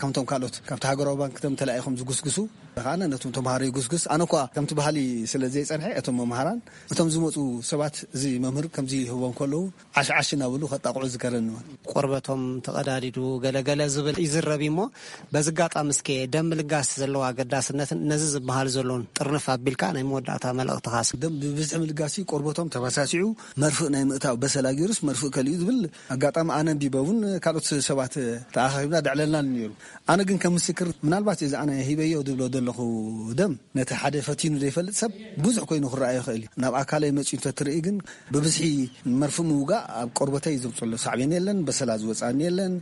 ከምቶም ካልኦት ካብቲ ሃገራዊ ባንክ ደም ተላኢኾም ዝጉስጉሱ፣ ከኣ ነቶም ተምሃሮ ይጉስጉስ። ኣነ እኳ ከምቲ ባህሊ ስለ ዘይጸንሐ፣ እቶም መምሃራን፣ እቶም ዝመጹ ሰባት፣ እዚ መምህር ከምዚ ይህቦም ከለዉ፣ ዓሽ ዓሽ እናበሉ ከጣቕዑ ዝከረኒ እውን። ቆርበቶም ተቐዳዲዱ ገለገለ ዝብል ይዝረብ እዩ እሞ፣ በዚ ኣጋጣሚ እስከ ደም ምልጋስ ዘለዎ ኣገዳስነትን ነዚ ዝበሃል ዘሎን ጥርንፍ ኣቢልካ ናይ መወዳእታ መልእኽትኻስ? ደም ብብዝሒ ምልጋስ እዩ፣ ቆርበቶም ተባሳሲዑ መርፍእ ናይ ምእታው በሰላ ገይሩስ መርፍእ ከሊኡ ዝብል ኣጋጣሚ ኣነ ኣንቢበ እውን ካልኦት ሰባት ተኣኻኺብና ደዕለልና ነይሩ። ኣነ ግን ከም ምስክር፣ ምናልባት እዚ ኣነ ሂበዮ ዝብሎ ዘለኹ ደም ነቲ ሓደ ፈቲኑ ዘይፈልጥ ሰብ ብዙሕ ኮይኑ ክረኣዮ ይኽእል እዩ። ናብ ኣካለይ መጺኡ እንተትርኢ ግን ብብዝሒ መርፍእ ምውጋእ ኣብ ቆርበተይ ዘምጽኦ ኣሎ ሳዕቤን የለን፣ በሰላ ዝወጽኣኒ የለን።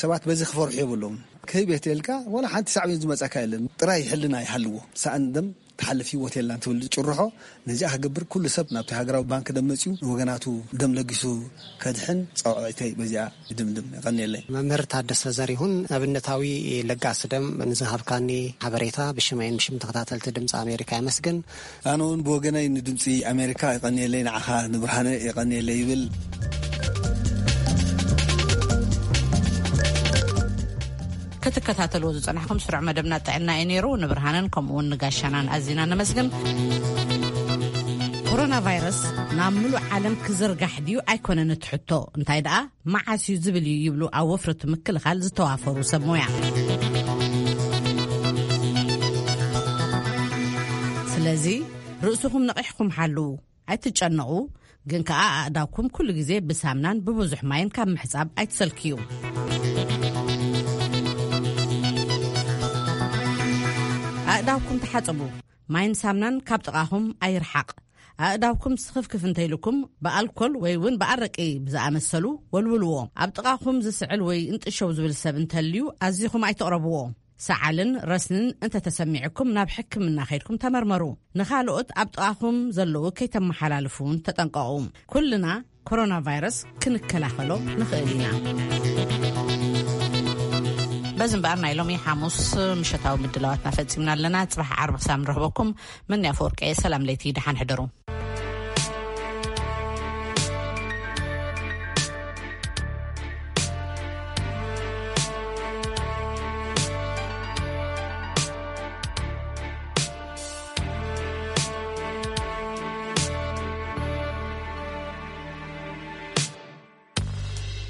ሰባት በዚ ክፈርሑ የብሎም። ክህብ እየ ተልካ ዋላ ሓንቲ ሳዕቤን ዝመጻካ የለን። ጥራይ ሕልና ይሃልዎ። ሰኣን ደም ክሓልፍ ህይወት የላን ትብል ጭርሖ፣ ነዚኣ ክገብር ኩሉ ሰብ ናብቲ ሃገራዊ ባንክ ደም መጺኡ ንወገናቱ ደም ለጊሱ ከድሕን ጸውዒተይ በዚኣ ይድምድም። ይቐንየለይ። መምህር ታደሰ ዘሪሁን፣ ኣብነታዊ ለጋሲ ደም ንዝሃብካኒ ሓበሬታ ብሽመይን ብሽም ተኸታተልቲ ድምፂ ኣሜሪካ የመስግን። ኣነ እውን ብወገነይ ንድምፂ ኣሜሪካ ይቐንየለይ፣ ንዓኻ ንብርሃነ ይቐንየለይ ይብል። ክትከታተልዎ ዝጸናሕኩም ስሩዕ መደብና ጥዕና እዩ ነይሩ። ንብርሃንን ከምኡ እውን ንጋሻናን ኣዚና ነመስግን። ኮሮና ቫይረስ ናብ ምሉእ ዓለም ክዝርጋሕ ድዩ ኣይኮነን እቲ ሕቶ፣ እንታይ ደኣ መዓስ እዩ ዝብል እዩ ይብሉ ኣብ ወፍሪ እቲ ምክልኻል ዝተዋፈሩ ሰብ ሞያ። ስለዚ ርእስኹም ነቒሕኩም ሓልዉ። ኣይትጨነቑ፣ ግን ከኣ ኣእዳውኩም ኩሉ ግዜ ብሳምናን ብብዙሕ ማይን ካብ ምሕጻብ ኣይትሰልክዩ። ኣእዳውኩም ተሓጸቡ። ማይን ሳምናን ካብ ጥቓኹም ኣይርሓቕ። ኣእዳውኩም ስኽፍክፍ እንተይልኩም ብኣልኮል ወይ እውን ብኣረቂ ብዝኣመሰሉ ወልውልዎ። ኣብ ጥቓኹም ዝስዕል ወይ እንጥሸው ዝብል ሰብ እንተልዩ ኣዚኹም ኣይትቕረብዎ። ሰዓልን ረስንን እንተተሰሚዕኩም ናብ ሕክምና ከይድኩም ተመርመሩ። ንኻልኦት ኣብ ጥቓኹም ዘለዉ ከይተመሓላልፉ እውን ተጠንቀቑ። ኩልና ኮሮና ቫይረስ ክንከላኸሎ ንኽእል ኢና። በዚ እምበኣር ናይ ሎሚ ሓሙስ ምሸታዊ ምድላዋትና ፈጺምና ኣለና። ጽባሕ ዓርቢ ክሳብ ንረኽበኩም፣ መን ኣፈወርቂ፣ ሰላም ለይቲ፣ ደሓን ሕደሩ።